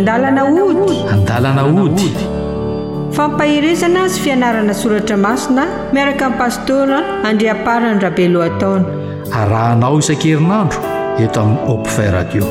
Andalana hody. Andalana hody. Fampaherezana sy fianarana soratra masina miaraka amin'ny pastora Andriamparany Rabelohataona. Arahanao isan-kerinandro eto amin'ny Hopfay Radio.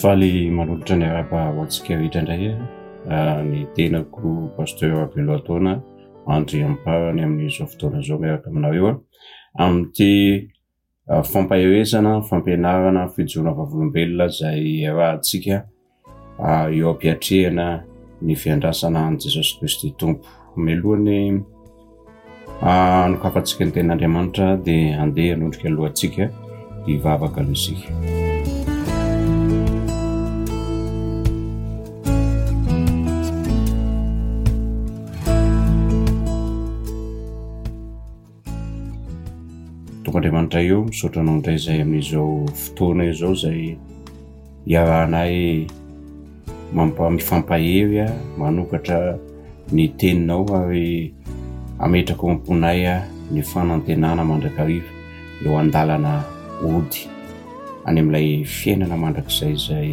Faly manolotra ny arahaba ho antsika rehetra indray ah, ny tenako Pasteur Rabelohataona Andriamparany amin'izao fotoana izao miaraka aminareo ah. amin'ity ah, fampaherezana, fampianarana, fijoroana vavolombelona izay iarahantsika eo am-piatrehana ny fiandrasana an'i Jesosy Kristy Tompo. Mialohan'ny hanokafantsika ny tenin'Andriamanitra dia handeha hanondrika lohantsika hivavaka aloha isika. Tompo Andriamanitra io, misaotra anao indray izay amin'izao fotoana izao izay iarahanay mampa mifampahery manokatra ny teninao ary ametraka ao am-ponay ny fanantenana mandrakariva eo an-dalana hody any amin'ilay fiainana mandrakizay izay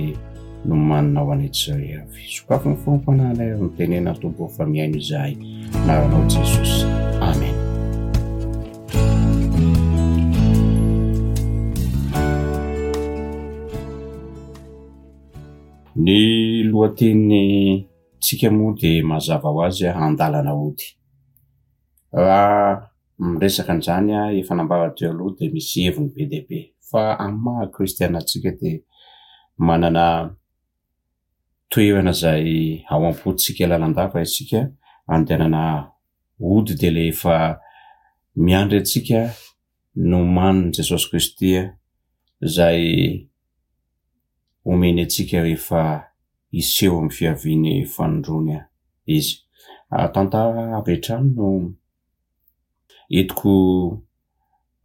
nomaninao anay tsirairay avy. Sokafy ny fom-panahinay ary mitenena Tompo fa mihaino izahay. Anaranao Jesosy. Amen. Ny lohateny tsika moa dia mazava ho azy andalana hody. Raha miresaka an'izany aho efa nambara teo aloha dia misy heviny be dia be fa amin'ny maha kristiana antsika dia manana toerana izay ao am-pontsika lalandava isika andehanana hody dia ilay efa miandry antsika nomanin'i Jesosy Kristy izay omeny antsika rehefa hiseho amin'ny fiaviany fanindroany Izy. Tantara avy hatrany no entiko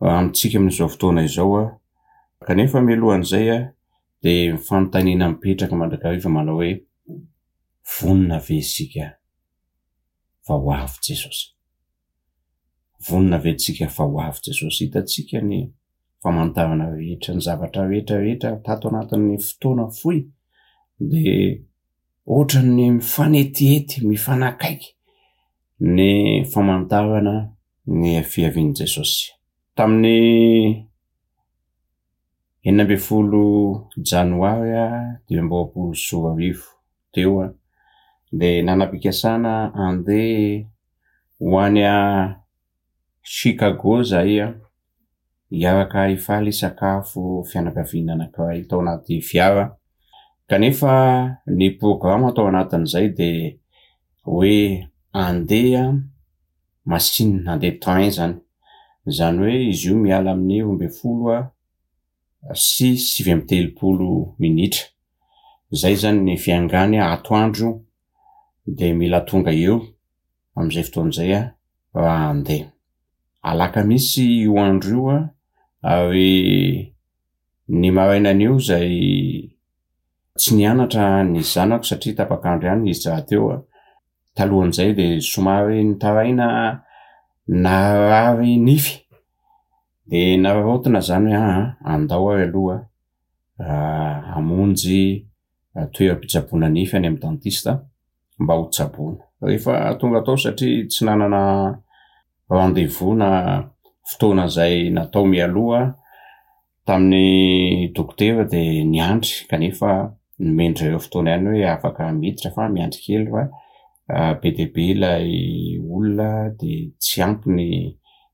amintsika amin'izao fotoana izao kanefa mialohan'izay dia ny fanontaniana mipetraka mandrakariva manao hoe vonona ve isika fa ho avy Jesosy? Vonona ve tsika fa ho avy Jesosy? Hitantsika ny famantarana rehetra, ny zavatra rehetra rehetra tato anatin'ny fotoana fohy dia ohatran'ny mifanetihety, mifanakaiky ny famantarana ny fiavian'i Jesosy. Tamin'ny 16 janoary 2025 teo dia nanam-pikasana handeha ho any Chicago izahay hiaraka hifaly hisakafo fianakaviana anankiray tao anaty fiara. Kanefa ny programa tao anatin'izay dia hoe handeha machine, handeha train izany. Izany hoe izy io miala amin'ny 12 sy 39 minitra. Izay izany ny fiangany atoandro dia mila tonga eo amin'izay fotoana izay raha handeha. Alakamisy io andro io ary ny marainan'io izay tsy nianatra ny zanako satria tapak'andro ihany izy rahateo. Talohan'izay dia somary nitaraina narary nify dia nararaotina izany hoe aa andao ary aloha hamonjy toeram-pitsaboana nify any amin'ny dentiste mba ho tsaboina. Rehefa tonga tao satria tsy nanana rendez-vous na fotoana izay natao mialoha tamin'ny dokotera dia niandry kanefa nomen-dry zareo fotoana ihany hoe afaka miditra fa miandry kely fa be dia be ilay olona dia tsy ampy ny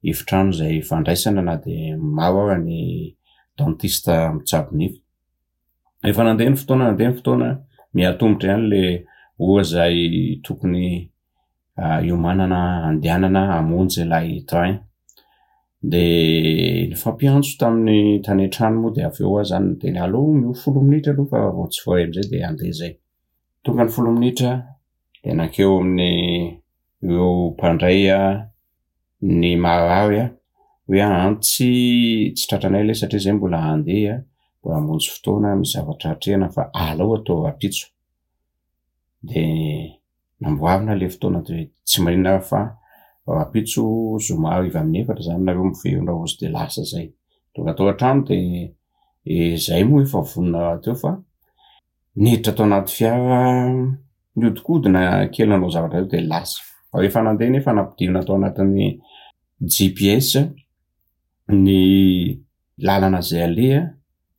efitrano izay fandraisana na dia maro ara ny dentiste mitsabo nify. Efa nandeha ny fotoana nandeha ny fotoana, miha-atomotra ihany le ora izay tokony hiomanana handehanana hamonjy ilay train. De nifampiantso tamin'ny tany an-trano moa de avy eo aho zany niteny aleo omeo folo minitra aloha fa vao tsy voaray am'zay de handeha zay. Tonga ny folo minitra de nankeo amin'ny ireo mpandray ny marary aho hoe aa tsy tsy tratranay ilay satria zay mbola handeha. mbola hamonjy fotoana misy zavatra atrehina fa alao atao rahampitso. De namboarina le fotoana de tsy maninona ary fa rahampitso zoma hariva amin'ny efatra zany nareo miverina hozy de lasa zay. Tonga tao an-trano de izay moa efa vonona rahateo fa niditra tao anaty fiara niodikodina kely nanao zavatra teo de lasa. Fa rehefa nandeha nefa nampidirina tao anatin'ny GPS ny lalana izay aleha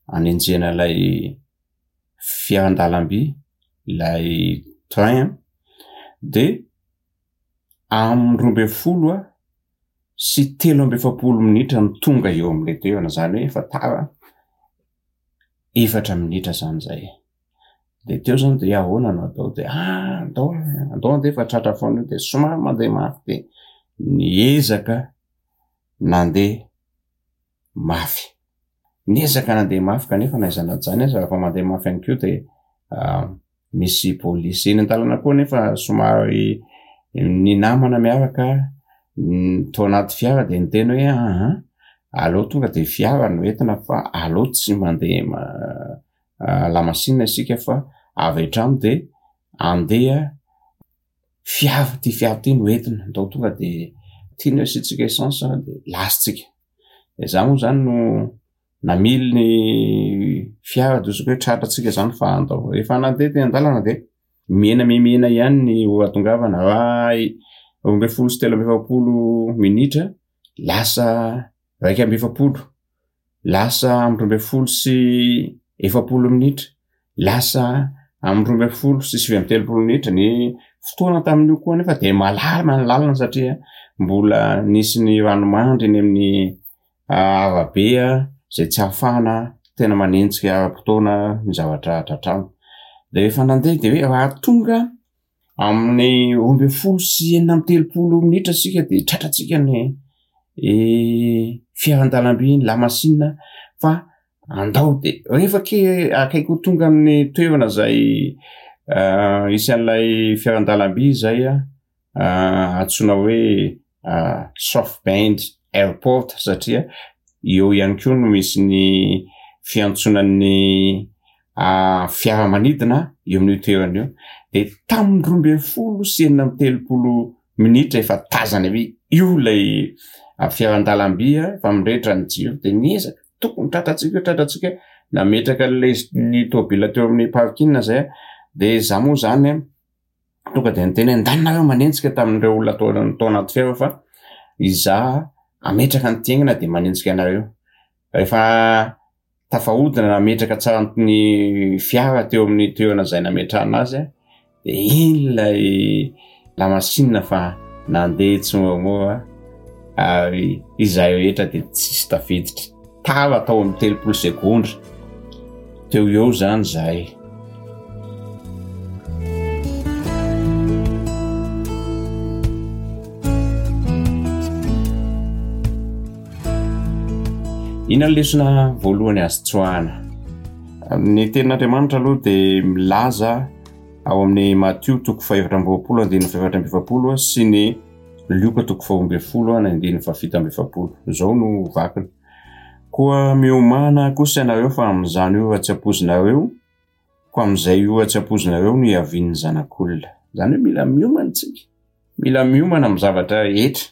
anenjehana ilay fiaran-dalamby, ilay train de amin'ny 12 sy 43 minitra no tonga eo amin'ilay toerana, izany hoe efa tara efatra minitra zany zay. De teo zany de ahoana no atao de ah andao andao andeha fa tratra foana io de somary mandeha mafy de niezaka nandeha mafy. Niezaka nandeha mafy kanefa na aiza na aiza aza rehefa mandeha mafy ihany koa de misy polisy eny an-dalana koa nefa somary ny namana miaraka tao anaty fiara de niteny hoe aa aleo tonga de fiara no entina fa aleo tsy mandeha lamasinina isika fa avy hatrany de andeha fiara, ty fiara ty no entina, ndao tonga de ty no asiantsika essence de lasa tsika. De za moa zany no namily ny fiara de ohatran'ny hoe tratra tsika zany fa andao. Rehefa nandeha teny an-dalana de mihena mihena ihany ny ora hahatongavana, raha 42 43 minitra lasa 41, lasa amin'ny 42 sy 40 minitra, lasa amin'ny 32 sy 39 minitra. Ny fotoana tamin'io koa nefa de malalana ny lalana satria mbola nisy ny ranomandry eny amin'ny arabe izay tsy ahafahana tena manenjika ara-potoana ny zavatra tratrarina. De rehefa nandeha de hoe raha tonga amin'ny 12 sy 36 minitra isika de tratrantsika ny fiaran-dalamby, ny lamasinina fa andao de rehefa ke akaiky ho tonga amin'ny toerana izay hisy an'ilay fiaran-dalamby izay antsoina hoe South Bend Airport satria eo ihany koa no misy ny fiantsonan'ny fiaramanidina eo amin'io toerana io. De tamin'ny 32 sy 36 minitra efa tazana hoe io ilay fiaran-dalamby fa mirehitra ny jiro de niezaka tokony tratrantsika io, tratrantsika io, nametraka an'ilay ny tômôbila teo amin'ny parking zay de za moa zany tonga de niteny hoe ndany nareo manenjika tamin'ireo olona tao tao anaty fiara fa izaho hametraka ny tiaingana de manenjika anareo. Rehefa tafahodina nametraka tsara ny fiara teo amin'ny toerana izay nametrahana azy de iny ilay lamasinina fa nandeha tsimoramora ary izahay rehetra de tsisy tafiditra. Tara tao amin'ny 30 segondra teo eo zany zahay. Inona ny lesona voalohany azo tsoahana? Ny tenin'Andriamanitra aloha dia milaza ao amin'ny Matio toko faha-24 andininy faha-44 sy ny Lioka toko faha-12 andininy faha-47. Izao no vakiny. Koa miomàna kosa ianareo fa amin'izany ora tsy ampoizinareo, koa amin'izay ora tsy ampoizinareo no hiavian'ny Zanak'olona. Izany hoe mila miomana isika. Mila miomana amin'ny zavatra rehetra.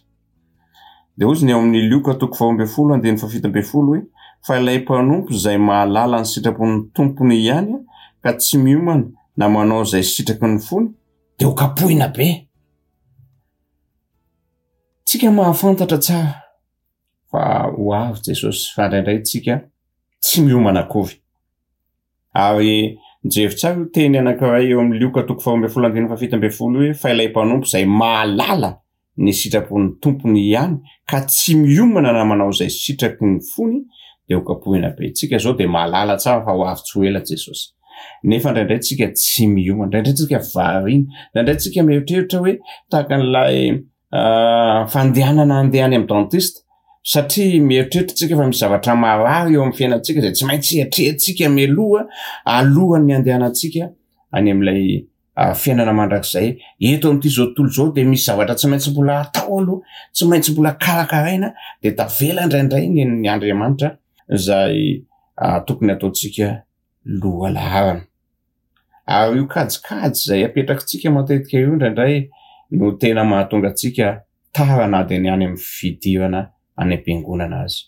Dia hozy ny ao amin'ny Lioka toko faha-12 andininy faha-17 hoe fa ilay mpanompo izay mahalala ny sitrapon'ny tompony ihany ka tsy miomana na manao izay sitraky ny fony dia ho kapohina be. Tsika mahafantatra tsara fa ho avy Jesosy fa indraindray tsika tsy miomana akory. Ary jery tsara io teny anankiray eo amin'ny Lioka toko faha-12 andininy faha-17 hoe fa ilay mpanompo izay mahalala ny sitrapon'ny tompony ihany ka tsy miomana na manao izay sitraky ny fony dia ho kapohina be. Tsika izao dia mahalala tsara fa ho avy tsy ho ela Jesosy. Nefa indraindray tsika tsy miomana, indraindray tsika variana, indraindray tsika mieritreritra hoe tahaka an'ilay fandehanana handeha any amin'ny dentiste satria mieritreritra tsika fa misy zavatra marary eo amin'ny fiainantsika izay tsy maintsy atrehantsika mialoha alohan'ny handehanantsika any amin'ilay fiainana mandrakizay. Eto amin'ity izao tontolo izao dia misy zavatra tsy maintsy mbola atao aloha, tsy maintsy mbola karakaraina dia tavela indraindray ny ny Andriamanitra izay. tokony ataontsika lohalaharana. Ary io kajikajy izay apetrakitsika matetika io indraindray no tena mahatonga antsika tara na dia ny any amin'ny fidirana any am-piangonana aza.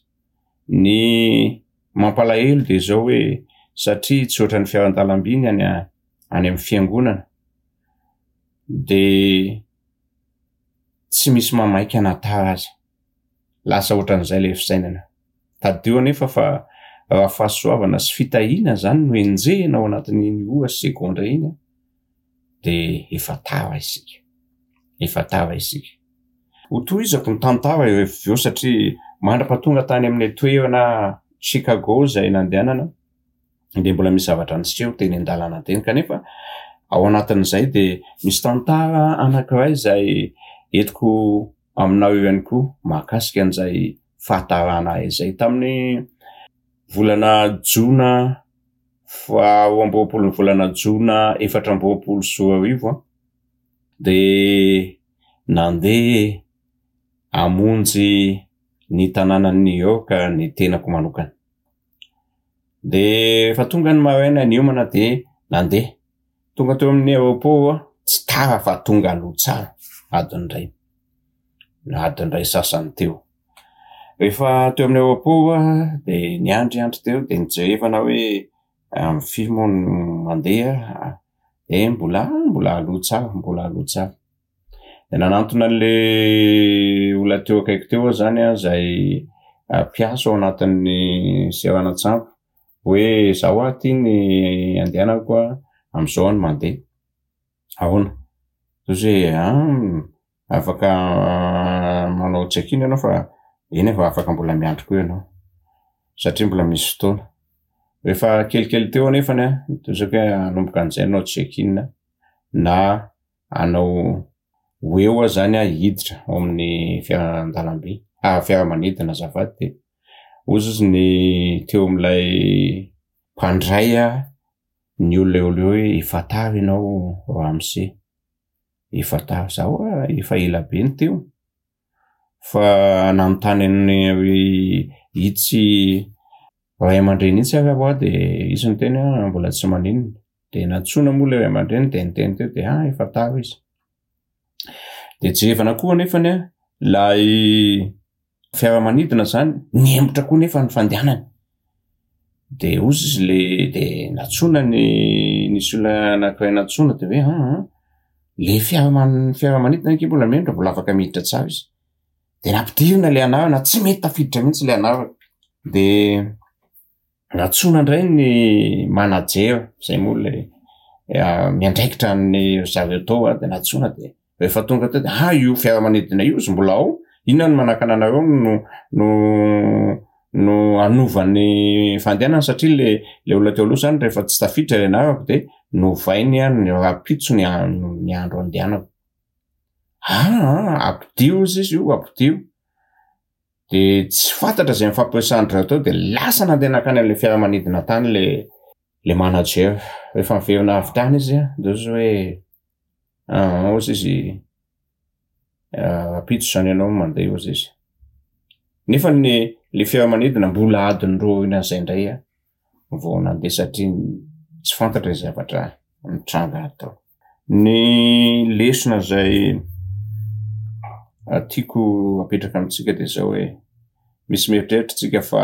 Ny mampalahelo dia izao hoe satria tsy ohatran'ny fiaran-dalamby ny any any amin'ny fiangonana dia tsy misy mamaika na tara aza. Lasa ohatran'izay ilay fisainana. Tadidio anefa fa raha fahasoavana sy fitahiana izany no enjehina ao anatin'iny ora sy segondra iny an, dia efa tara isika. Efa tara isika. Hotohizako ny tantara rehefa avy eo satria mandra-pahatonga tany amin'ilay toerana Chicago izay nandehanana dia mbola misy zavatra niseho teny an-dalana teny kanefa ao anatin'izay dia misy tantara anankiray izay entiko aminao eo ihany koa mahakasika an'izay fahatarana izay. Tamin'ny volana jona faha-22 ny volana jona 2024 dia nandeha hamonjy ny tanànan'i New York ny tenako manokana. Dia efa tonga ny maraina niomana dia nandeha. Tonga teo amin'ny aéroport aho, tsy tara fa tonga aloha tsara, adiny iray, na adiny iray sasany teo. Rehefa teo amin'ny aéroport aho dia niandriandry teo dia nijerevana hoe amin'ny firy moa no mandeha dia mbola mbola aloha tsara, mbola aloha tsara. Dia nanantona an'ilay olona teo akaiky teo aho izany an, izay mpiasa ao anatin'ny seranan-tsambo hoe izaho aho ity ny andehanako an, amin'izao aho no mandeha. Ahoana? Dia hoy izy hoe an, afaka manao check-in ianao fa eny fa afaka mbola miandry koa ianao satria mbola misy fotoana. Rehefa kelikely teo anefany an, dia hoy izy hoe hanomboka an'izay hanao check-in na hanao ho eo aho zany aho hiditra ao amin'ny fiaran-dalamby, fiaramanidina azafady dia hozy izy ny teo amin'ilay mpandray ny olona eo aloha hoe efa tara ianao ramose, efa tara, za hoa efa ela be no teo fa nanontany an'i itsy ray aman-dreny itsy ary aho dia izy niteny hoe mbola tsy maninona, dia nantsoina moa ilay ray aman-dreny dia niteny teo dia ah efa tara izy. Dia jerevana koa anefany an, ilay fiaramanidina izany nihemotra koa nefa ny fandehanany. Dia hozy izy le dia nantsoina ny nisy olona anankiray nantsoina dia hoe an an, le fiaraman- fiaramanidina ange mbola mihemotra mbola afaka miditra tsara izy. Dia nampidirina ilay anarana, tsy mety tafiditra mihitsy ilay anarana. Dia nantsoina indray ny manager, izay moa ilay miandraikitra an'ny zareo tao dia nantsoina dia rehefa tonga teo dia ah io fiaramanidina io izy mbola ao, inona no manakana anareo no no no hanova ny fandehanana satria le le olona teo aloha izany rehefa tsy tafiditra ilay anarako dia novainy ny rahampitso ny ny andro andehanako. Aa ampidio ozy izy io ampidio. De tsy fantatra izay nifampiresahan-dry zareo teo de lasa nandeha nankany amin'ilay fiaramanidina tany le le manager. Rehefa niverina avy tany izy an, de hozy hoe aa hozy izy rahampitso izany ianao no mandeha hozy izy. Nefa ny le fiaramanidina mbola adiny roa aorianan'izay indray an vao nandeha satria tsy fantatra izay zavatra nitranga tao. Ny lesona izay tiako apetraka amintsika dia izao hoe, misy mieritreritra isika fa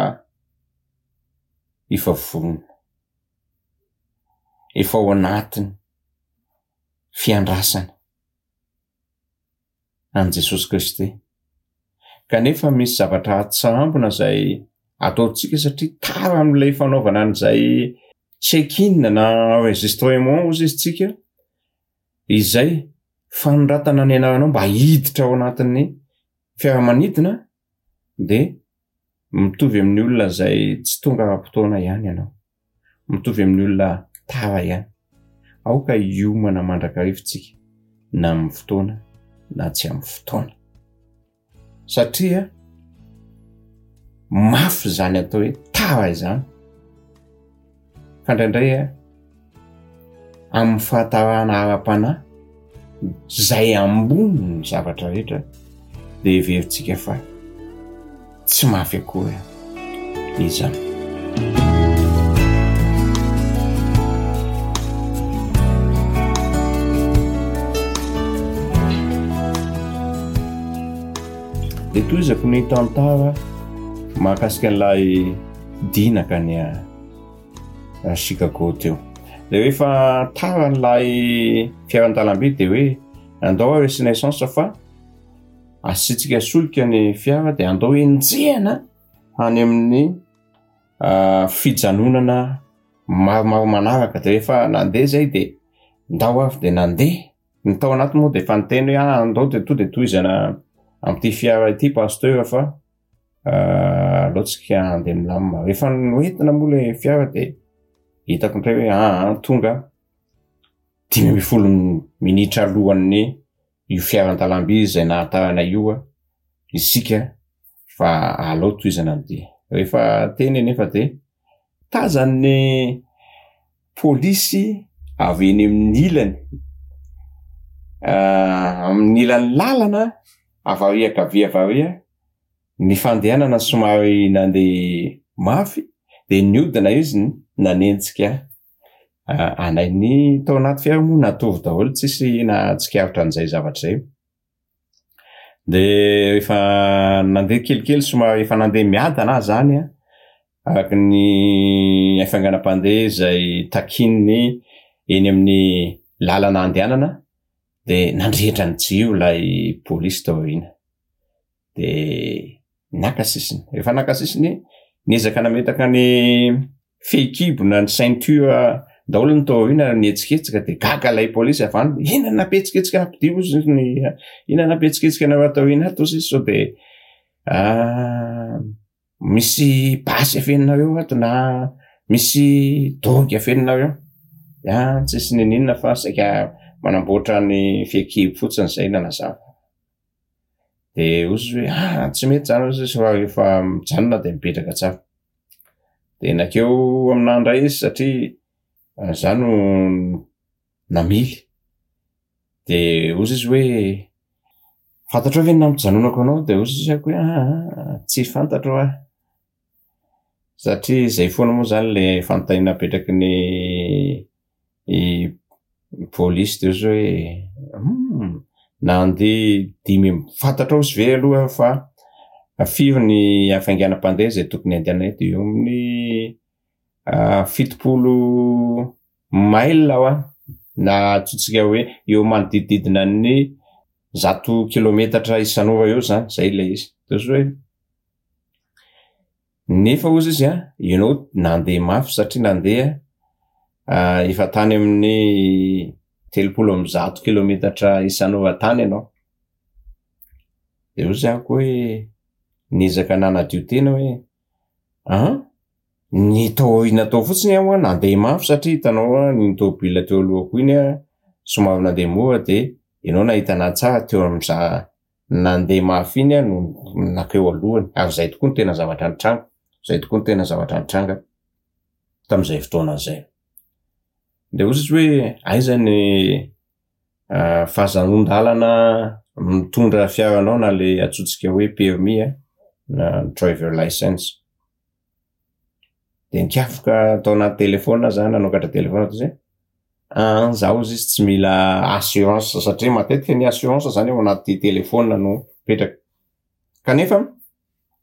efa vonona, efa ao anatin'ny fiandrasana an'i Jesosy Kristy. Kanefa misy zavatra atsambona izay ataontsika satria tara amin'ilay fanaovana an'izay check-in na enregistrement hozy izy tsika, izay fanoratana ny anaranao mba hiditra ao anatin'ny fiaramanidina dia mitovy amin'ny olona izay tsy tonga ara-potoana ihany ianao. Mitovy amin'ny olona tara ihany. Aoka hiomana mandrakariva isika na amin'ny fotoana na tsy amin'ny fotoana. Satria mafy izany atao hoe tara izany. Fa indraindray a, amin'ny fahatarana ara-panahy izay ambony ny zavatra rehetra dia heverintsika fa tsy mafy akory izany. Dia tohizako ny tantara mahakasika an'ilay dina kany a Chicago teo. Dia rehefa tara an'ilay fiaran-dalamby dia hoe andao ary asiana essence fa asiantsika solika ny fiara dia andao enjehina any amin'ny fijanonana maromaro manaraka. Dia rehefa nandeha izay dia ndao avy dia nandeha. Ny tao anaty moa dia efa niteny hoe ah andao dia to dia tohizana amin'ity fiara ity pasteur fa aleo tsika handeha milamina. Rehefa noentina moa ilay fiara dia hitako indray hoe ah tonga 15 minitra alohan'ny io fiaran-dalamby izay nahatarana io isika fa aleo tohizana ny dia. Rehefa teny anefa dia tazan'ny polisy avy eny amin'ny ilany, amin'ny ilan'ny lalana avy ary ankavia avy ary ny fandehanana somary nandeha mafy dia niodina izy nanenjika anay. Ny tao anaty fiara moa natory daholo, tsisy nahatsikaritra an'izay zavatra izay. Dia rehefa nandeha kelikely somary efa nandeha miadana aho izany an, araka ny hafainganam-pandeha izay takian'ny eny amin'ny lalana andehanana dia nandrehitra ny jiro ilay polisy tao aoriana. Dia naka sisiny. Rehefa naka sisiny, niezaka nametaka ny fehikibo na ny ceinture daholo ny tao aoriana nihetsiketsika dia gaga ilay polisy avy any, inona no nampihetsiketsika ampidio ozy izy ny inona no nampihetsiketsika anareo ato aoriana ato ozy izy sao dia misy basy afeninareo ato na misy drogue afeninareo. Ah, tsisy niniana fa saika manamboatra ny fehikibo fotsiny izay nanazava. De hoy izy hoe ah tsy mety zany hoy izy fa rehefa mijanona de mipetraka tsara. De nankeo aminà indray izy satria za no namily, de hoy izy hoe fantatrao ve ny nampijanonako anao? De hoy izy hoe aa tsy fantatro aho. Satria zay foana moa zany le fanontaniana apetraky ny polisy de ozy hoe hum nandeha dimy amby, fantatrao ozy ve aloha fa firy ny hafainganam-pandeha izay tokony andehanana eto? Eo amin'ny 70 mile hoa na antsointsika hoe eo manodidididina ny 100 kilometatra isan'ora eo zany, zay ilay izy. De ozy hoe Nefa hozy izy an, ianao nandeha mafy satria nandeha efa tany amin'ny 130 kilometatra isan'ora tany ianao. Dia hozy aho koa hoe niezaka nanadio tena hoe an, ny tao aoriana tao fotsiny aho an nandeha mafy satria hitanao an iny tômôbila teo alohako iny an somary nandeha mora dia ianao nahita anahy tsara teo amin'izaho nandeha mafy iny aho no nankeo alohany ary izay tokoa no tena zavatra nitranga, izay tokoa no tena zavatra nitranga tamin'izay fotoana izay. Dia hoy izy hoe aiza ny fahazahoan-dalana mitondra fiaranao na ilay antsointsika hoe permis na driver license. De nikafoka tao anaty telefaonina aho zany nanokatra telefaonina toy izay, an za hozy izy tsy mila assurance satria matetika ny assurance zany ao anaty telefaonina no mipetraka, kanefa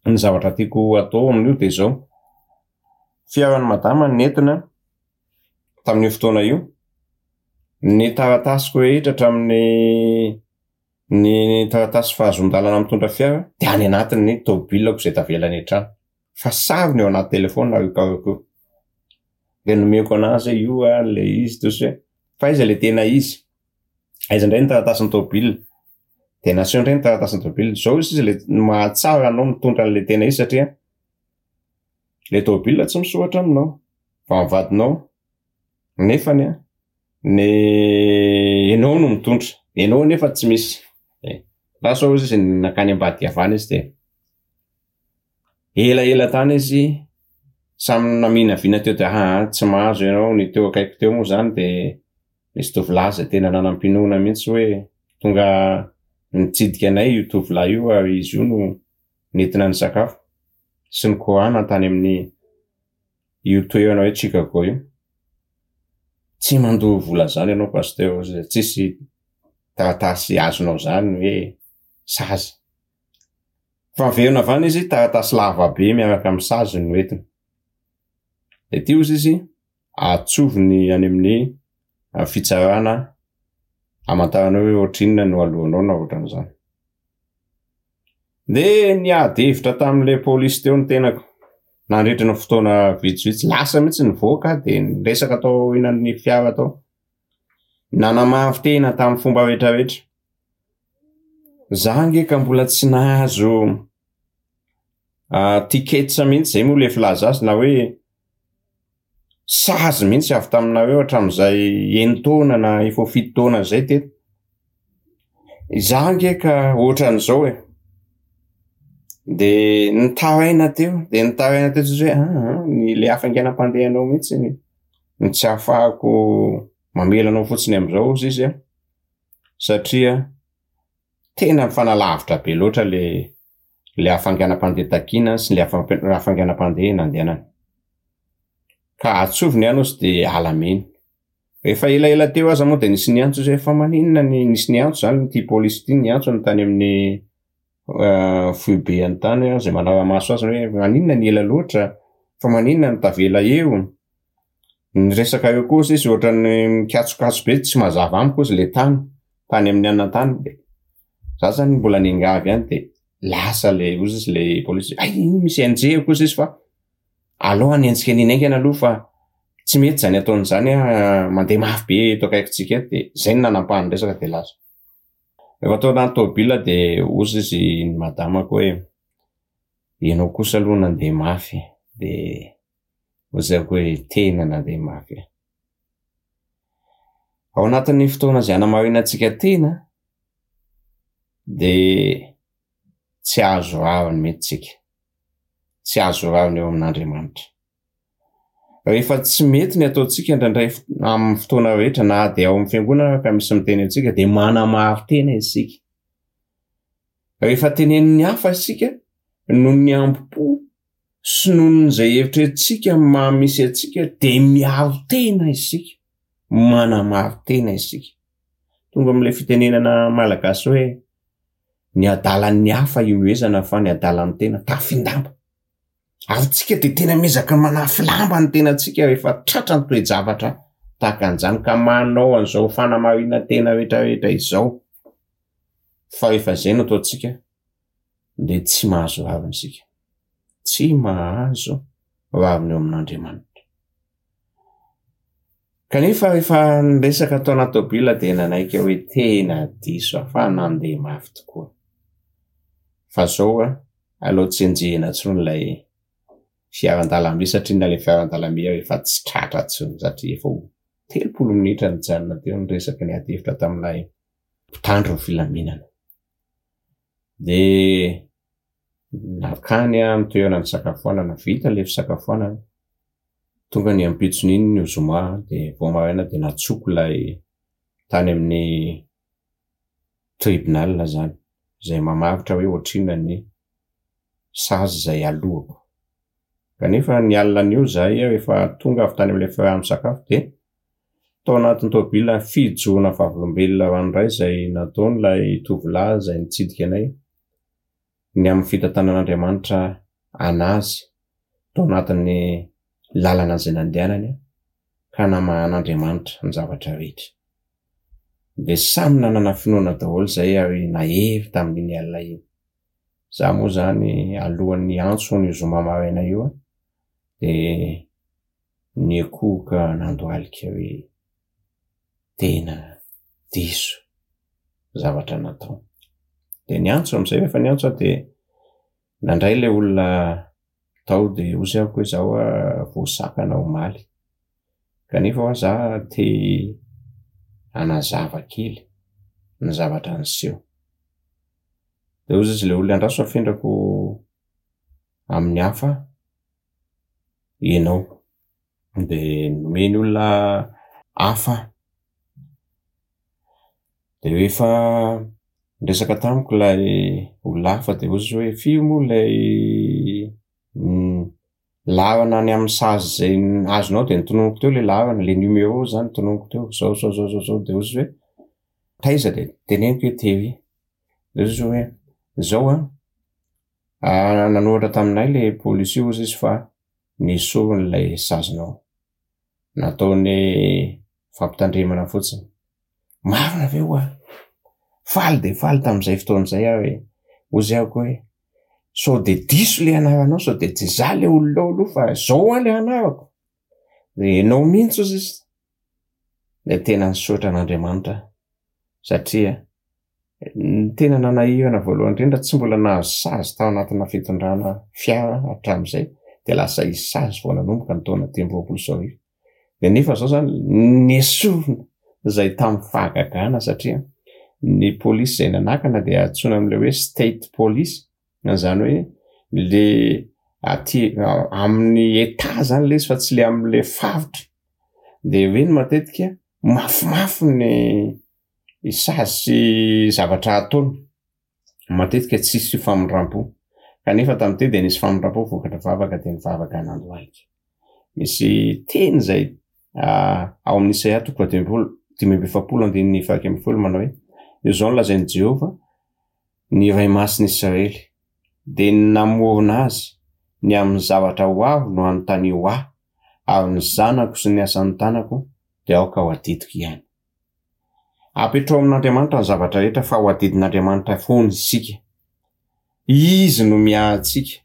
ny zavatra tiako atao amin'io de zao, fiaran'i madama nentina tamin'io fotoana io, ny taratasiko rehetra hatramin'ny ny taratasy fahazoan-dalana mitondra fiara de any anatin'ny tômôbilako izay tavela any an-trano. Fa sarony ao anaty telefaonina io karoka io. De nomeko anazy hoe io ary le izy toa sy hoe fa aiza le tena izy? Aiza indray ny taratasin'ny tômôbila? De naseho indray ny taratasin'ny tômôbila. Zao izy le mahatsara anao mitondra an'le tena izy satria le tômôbila tsy misoratra aminao fa ny vadinao nefany an ny enao no mitondra, enao nefa tsy misy. Lasa hozy izy nankany ambadika avy any izy de elaela tany izy samy naminavina teo de aa tsy mahazo ianao, ny teo akaiky teo moa zany de nisy tovolahy zay tena nanam-pinoana mihitsy hoe tonga nitsidika anay io tovolahy io ary izy io no nentina nisakafo sy nikorana tany amin'ny io toerana hoe Chicago io. Tsy mandoa vola zany ianao pasteur hozy izy, tsisy taratasy azonao zany hoe sazy. Fa miverina avy any izy, taratasy lava be miaraka amin'ny sazy no entiny. Dia ity hozy izy, atsoviny any amin'ny fitsarana hamantarana hoe ohatrinona no aloanao na ohatran'izany. Dia niady hevitra tamin'ilay polisy teo ny tenako nandritra ny fotoana vitsivitsy. Lasa mihitsy nivoaka dia niresaka tao aorianan'ny fiara tao. Nanamafy tena tamin'ny fomba rehetrarehetra. Za ange ka mbola tsy nahazo tickets mihitsy, zay moa le filaza azy na hoe sazy mihitsy avy taminareo hatramin'izay enin-taona na efa ho fito taona izay teto. Izaho ange ka ohatran'izao e. De nitaraina teo, de nitaraina teo tsisy hoe aa ny le hafainganam-pandehanao mihitsy no tsy ahafahako mamela anao fotsiny amin'izao hozy izy a, satria tena mifanalavitra be loatra le le hafainganam-pandeha takiana sy le hafainganam-pandeha nandehanana. Ka atsovy ny anao sy de alamino. Efa elaela teo aza moa de nisy niantso izy hoe fa maninona ny nisy niantso zany ity polisy ity niantso ny tany amin'ny foibe any tany izay manara-maso azy hoe maninona ny ela loatra, fa maninona no tavela eo. Ny resaka eo koa sisa ohatran'ny mikatsokatso be tsy mazava amiko ozy le tany, tany amin'ny anona tany de za zany mbola niangavy ihany de lasa le ozy izy le polisy hay iny misy enjehiko ozy izy fa aleo hanenjika an'iny haingana aloha fa tsy mety zany ataony zany an, mandeha mafy be eto akaikintsika eto de zay no nanampahany resaka de lasa. Rehefa tao anaty tômôbila de ozy izy ny madamako hoe ianao kosa aloha nandeha mafy de Lazaiko hoe tena nandeha mafy aho. Ao anatin'ny fotoana izay hanamarinantsika tena dia tsy azo rariny mihitsy isika. Tsy azo rariny eo amin'Andriamanitra. Rehefa tsy mety ny ataontsika indraindray amin'ny fotoana rehetra na dia ao amin'ny fiangonana ary ka misy miteny antsika dia manamaro-tena isika. Rehefa tenenin'ny hafa isika noho ny hambom-po sy noho ny izay eritreretintsika amin'ny maha misy antsika dia miaro tena isika, manamaro tena isika. Tonga amin'ilay fitenenana malagasy hoe ny adalan'ny hafa ihomehezana fa ny adalan'ny tena tafin-damba. Ary tsika dia tena miezaka manafy lamba ny tenantsika rehefa tratra ny toe-javatra tahaka an'izany ka manao an'izao fanamarinan-tena rehetrarehetra izao. Fa rehefa izay no ataontsika dia tsy mahazo rariny isika. Tsy mahazo rariny eo amin'Andriamanitra. Kanefa rehefa niresaka tao anaty tôbila dia nanaiky aho hoe tena diso aho fa nandeha mafy tokoa. Fa zao an, aleo tsy enjehina intsony ilay fiaran-dalamby satria na ilay fiaran-dalamby aho efa tsy tratra intsony satria efa ho 30 minitra nijanona teo niresaka niady hevitra tamin'ilay mpitandro ny filaminana. Dia nankany aho amin'ny toerana nisakafoanana, vita ilay fisakafoanana, tonga ny ampitson'iny ny zoma dia vao maraina dia nantsoiko ilay tany amin'ny tribunal izany, izay mamaritra hoe ohatrinona ny sazy izay aloako. Kanefa ny alina an'io izahay rehefa tonga avy tany amin'ilay fiaraha-misakafo dia Tao anatin'ny tôbila fijoroana vavolombelona ranoray izay nataon'ilay tovolahy izay nitsidika anay ny amin'ny fitantanan'Andriamanitra an'azy tao anatin'ny lalana izay nandehanany ka namahan'Andriamanitra ny zavatra rehetra. Dia samy nanana finoana daholo izay ary nahery tamin'iny alina iny. Za moa izany alohan'ny hiantso an'io zoma maraina io dia Niankohoka nandohalika hoe tena diso zavatra natao. Dia niantso amin'izay rehefa niantso aho dia nandray ilay olona tao dia hoy aho hoe izaho voasakana omaly kanefa hoa za te hanazava kely ny zavatra niseho. Dia hoy izy ilay olona andraso afindrako amin'ny hafa ianao. Dia nomeny olona hafa aho. Dia rehefa niresaka tamiko ilay olona hafa dia hoy izy hoe firy moa ilay laharana any amin'ny sazy izay azonao? Dia notononiko teo ilay laharana, ilay numéro izany notononiko teo, izao izao izao izao izao. Dia hoy izy hoe taiza? Dia teneniko hoe tery. Dia hoy izy hoe izao an! Nanoratra taminay le polisy io hozy izy fa nesoriny ilay sazinao. Nataony fampitandremana fotsiny. Marina ve hoa? Faly dia faly tamin'izay fotoana izay aho hoe, hozy aho koa hoe, sao dia diso le anaranao, sao dia tsy izaho le olona ao aloha fa izao hoa le anarako. Dia ianao mihitsy hozy izy. Dia tena nisaotra an'Andriamanitra aho satria ny tena nanahirana voalohany indrindra tsy mbola nahazo sazy tao anatina fitondrana fiara hatramin'izay dia lasa hisy sazy vao nanomboka ny taona 2023. Dia nefa izao izany nesorina izay tamin'ny fahagagana satria ny polisy izay nanakana dia antsoina amin'ilay hoe state police, izany hoe le aty amin'ny état izany ilay izy fa tsy le amin'ilay faritra. Dia ireny matetika mafimafy ny sazy sy zavatra ataony. Matetika tsisy famindram-po. Kanefa tamin'ity dia nisy famindram-po vokatra vavaka dia nivavaka nandohalika. Misy teny izay ao amin'ny Isaia toko fahadimampolo, 45 andininy faha-11 manao hoe, Izao no lazain'i Jehovah, ny Iray Masin'i Israely, dia ny namorona azy, ny amin'ny zavatra ho avy no anontanio ahy, ary ny zanako sy ny asan'ny tanako dia aoka ho adidiko ihany. Apetraho amin'Andriamanitra ny zavatra rehetra fa ho adidin'Andriamanitra foana isika. Izy no miahy antsika.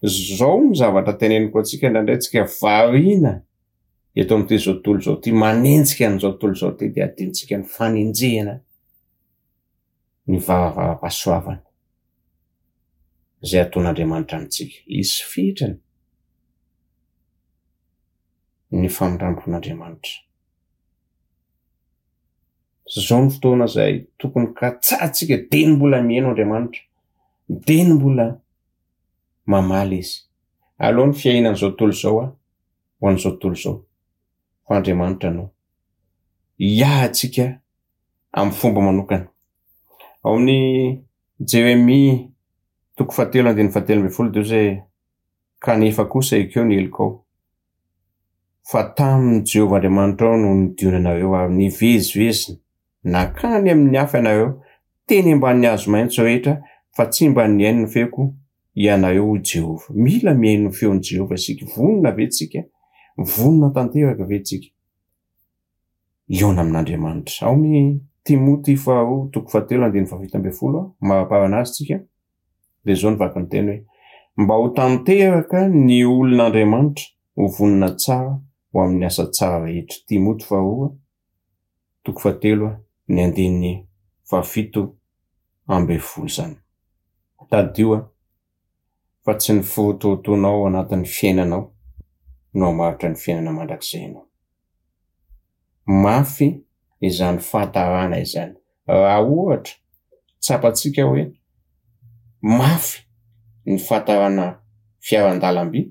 Zao no zavatra teneniko antsika indraindray tsika variana eto amin'ity zao tontolo izao ity, manenjika an'izao tontolo izao ity dia adinontsika ny fanenjehana ny varavaram-pahasoavana izay ataon'Andriamanitra amintsika. Hisy fetrany ny famindram-pon'Andriamanitra. Izao no fotoana izay tokony katsahantsika dieny mbola mihaino Andriamanitra, dieny mbola mamaly Izy. Aleo ny fiainan'izao tontolo izao ho an'izao tontolo izao, fa Andriamanitra no hiahy antsika amin'ny fomba manokana. Ao amin'ny Jeremia toko fahatelo andininy fahatelo ambin'ny folo dia hoy hoe, Kanefa kosa ekeo ny helokao, fa tamin'i Jehovah Andriamanitrao no nidionanareo ary nivezivezy nankany amin'ny hafa ianareo teny ambanin'ny hazo maitso rehetra, fa tsy mba nihaino ny feoko ianareo, hoy Jehovah. Mila mihaino ny feon'i Jehovah isika. Vonona ve isika? Vonona tanteraka ve isika hihaona amin'Andriamanitra? Ao amin'ny Timoty faharoa toko fahatelo andininy faha-17, maraparana azy isika. Dia izao no vaky ny teny hoe, Mba ho tanteraka ny olon'Andriamanitra, ho vonona tsara ho amin'ny asa tsara rehetra. Timoty faharoa, toko fahatelo, ny andininy faha-17 izany. Tadidio fa tsy ny firotorotoanao ao anatin'ny fiainanao no hamaritra ny fiainana mandrakizainao. Mafy izany fahatarana izany. Raha ohatra tsapantsika hoe mafy ny fahatarana fiaran-dalamby,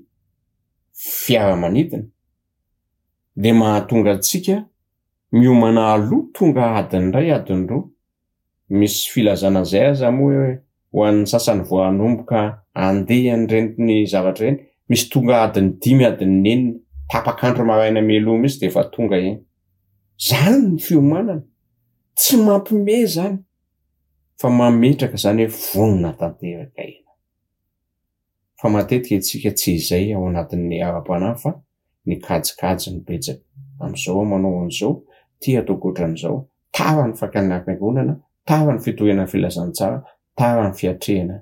fiaramanidina, dia mahatonga antsika miomana aloha tonga adiny iray, adiny roa. Misy filazana an'izay aza moa hoe ho an'ny sasany vao hanomboka handeha an'ireny zavatra ireny, misy tonga adiny dimy, adiny enina, tapak'andro maraina mialoha mihitsy dia efa tonga eny. Izany ny fiomanana. Tsy mampime izany fa mametraka izany hoe vonona tanteraka ianao. Fa matetika isika tsy izay ao anatin'ny ara-panahy fa ny kajikajy no betsaka. Amin'izao aho manao an'izao, ity ataoko ohatran'izao. Tara ny fakana am-piangonana, tara ny fitoriana ny filazantsara, tara ny fiatrehana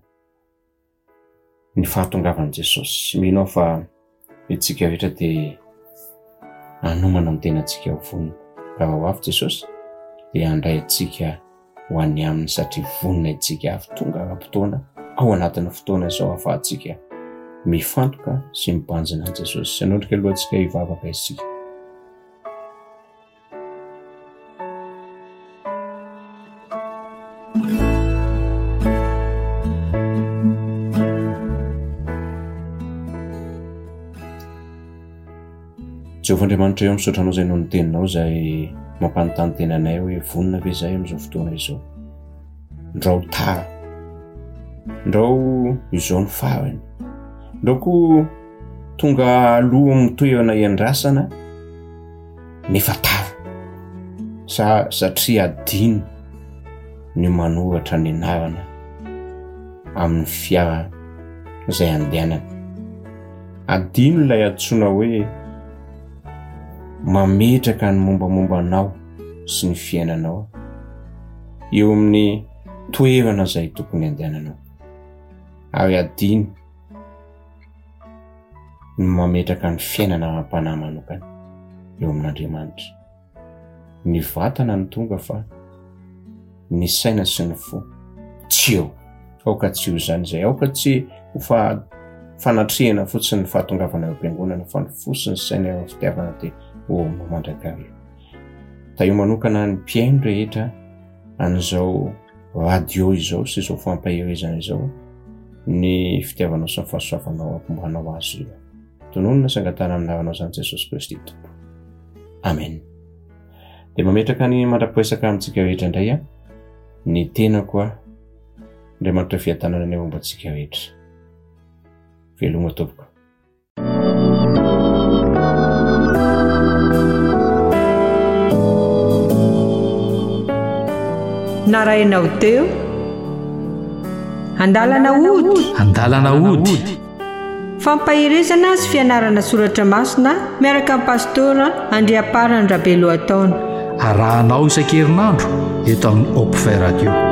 ny fahatongavan'i Jesosy. Mino aho fa isika rehetra dia hanomana ny tenantsika ho vonona. Raha ho avy Jesosy dia handray antsika ho any aminy satria vonona isika avy tonga ara-potoana ao anatin'ny fotoana izao ahafahantsika mifantoka sy mibanjina an'i Jesosy. Hanondrika alohantsika hivavaka isika. Jehovah Andriamanitra eo, misaotra anao izay noho ny teninao izay mampanontany tena anay hoe vonona ve izahay amin'izao fotoana izao. Ndrao tara. Ndrao izao ny farany. Ndrao koa tonga aloha amin'ny toerana iandrasana nefa tara. Sa satria adino ny manoratra ny anarana amin'ny fiara. izay andehanana. Adino ilay antsoina hoe mametraka ny mombamomba anao sy ny fiainanao eo amin'ny toerana izay tokony andehananao. Ary adino ny mametraka ny fiainana ara-panahy manokana eo amin'Andriamanitra. Ny vatana no tonga fa ny saina sy ny fo tsy eo. Aoka tsy ho izany izay. Aoka tsy ho fa fanatrehana fotsiny ny fahatongavana eo am-piangonana fa ny fo sy ny saina eo amin'ny fitiavana dia ho ao mandrakariva. Tahio manokana ny mpihaino rehetra an'izao radio izao sy izao fampaherezana izao ny fitiavanao sy ny fahasoavanao ampombanao azy ireo. Tononina sy angatahana amin'ny anaranao izany Jesosy Kristy Tompo. Amen. Dia mametraka ny mandra-piresaka amintsika rehetra indray a ny tenako a Andriamanitra fiadanana ny momba antsika rehetra. Veloma tompoko. Narahinao teo Andalana ody. Andalana ody. Fampaherezana sy fianarana soratra masina miaraka amin'ny Pastora Andriamparany Rabelohataona. Arahanao isan-kerinandro eto amin'ny Hopfait Radio.